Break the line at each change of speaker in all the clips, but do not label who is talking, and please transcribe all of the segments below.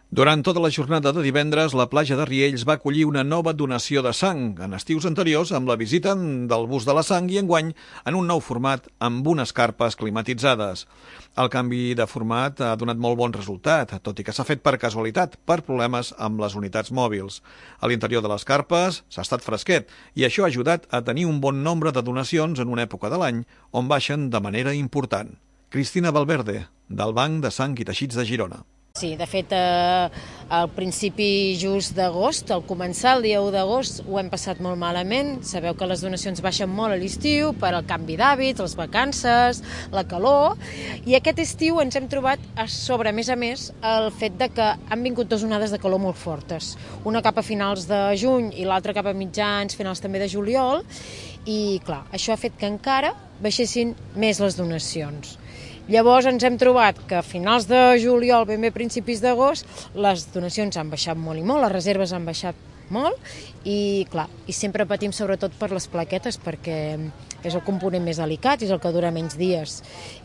Durant tota la jornada de divendres, la platja de Riells va acollir una nova donació de sang, en estius anteriors amb la visita del bus de la sang i enguany en un nou format amb unes carpes climatitzades. El canvi de format ha donat molt bon resultat, tot i que s'ha fet per casualitat, per problemes amb les unitats mòbils. A l'interior de les carpes s'ha estat fresquet i això ha ajudat a tenir un bon nombre de donacions en una època de l'any on baixen de manera important. Cristina Valverde, del Banc de Sang i Teixits de Girona.
Sí, de fet, al principi just d'agost, al començar el dia 1 d'agost, ho hem passat molt malament. Sabeu que les donacions baixen molt a l'estiu per al canvi d'hàbits, les vacances, la calor, i aquest estiu ens hem trobat a sobre, a més, el fet de que han vingut dues onades de calor molt fortes. Una cap a finals de juny i l'altra cap a mitjans, finals també de juliol, i clar, això ha fet que encara baixessin més les donacions. Llavors ens hem trobat que a finals de juliol, ben bé principis d'agost, les donacions han baixat molt i molt, les reserves han baixat molt i, clar, i sempre patim sobretot per les plaquetes perquè és el component més delicat, és el que dura menys dies.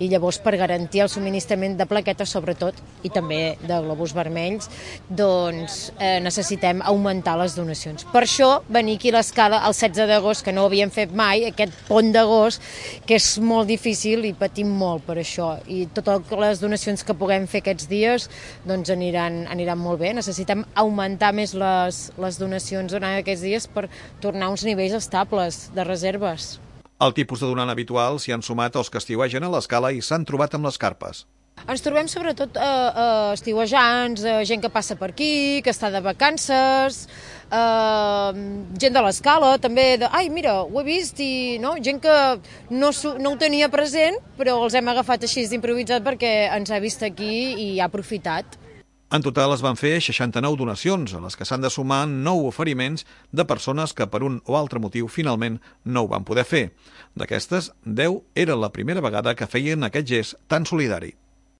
I llavors, per garantir el subministrament de plaquetes, sobretot, i també de globus vermells, doncs necessitem augmentar les donacions. Per això, venir aquí a l'escala el 16 d'agost, que no ho havíem fet mai, aquest pont d'agost, que és molt difícil i patim molt per això. I totes les donacions que puguem fer aquests dies doncs aniran molt bé. Necessitem augmentar més les donacions durant aquests dies per tornar a uns nivells estables de reserves.
Al tipus de donant habitual s'hi han sumat els que estiuegen a l'escala i s'han trobat amb les carpes.
Ens trobem sobretot estiuejants, gent que passa per aquí, que està de vacances, gent de l'escala, també ai, mira, ho he vist, i no, gent que no ho tenia present, però els hem agafat així d'improvisat perquè ens ha vist aquí i ha aprofitat.
En total es van fer 69 donacions, a les que s'han de sumar 9 oferiments de persones que per un o altre motiu finalment no ho van poder fer. D'aquestes, 10 era la primera vegada que feien aquest gest tan solidari.